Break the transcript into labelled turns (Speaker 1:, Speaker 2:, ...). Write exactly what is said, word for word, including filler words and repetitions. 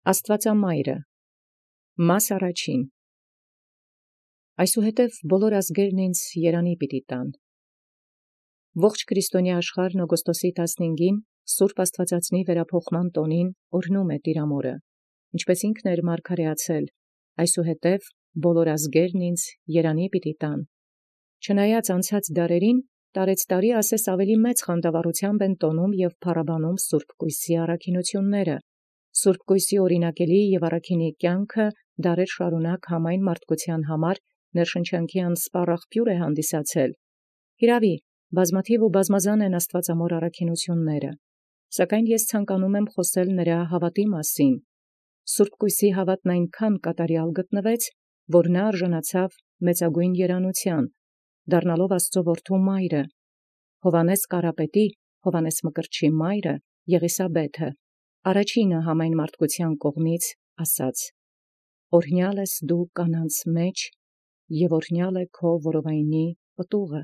Speaker 1: Աստուածամայրը Մաս առաջին Այսուհետև բոլոր ազգերն ինձ երանի պիտի տան։ Ողջ քրիստոնյա աշխարհն օգոստոսի տասնհինգին Սուրբ Աստվածածնի վերափոխման տոնին օրհնում է Տիրամորը, ինչպես ինքն էր մարգարեացել, այսուհետև բոլոր ազգերն ինձ երանի պիտի տան։ Չնայած անցած դարերին տարեց տարի ասես ավելի մեծ խանդավառությամբ են տոնում և փառաբանում Սուրբ Կույսի առաքինութիւնները, Սուրբ Կույսի օրինակելի և առաքինի կյանքը դարեր շարունակ համայն մարդկության համար ներշնչանքի անսպառ աղբյուր է հանդիսացել։ Հիրավի, բազմաթիվ ու բազմազան են աստվածամոր առաքինութիւնները, սակայն ես ցանկանում եմ խոսել նրա հաւատի մասին։ Սուրբ Կույսի հաւատն այնքան կատարյալ գտնվեց, որ նա արժանացավ մեծագույն երանութեան, դառնալով Աստուծոյ որդու մայրը, Հովհաննես Կարապետի, Հովհաննես Մկրտչի մայրը Եղիսաբէթը, առաջինը համայն մարդկության կողմից ասաց. «Օրհնյալ ես դու կանանց մեջ, և օրհնյալ է քո որովայնի պտուղը»։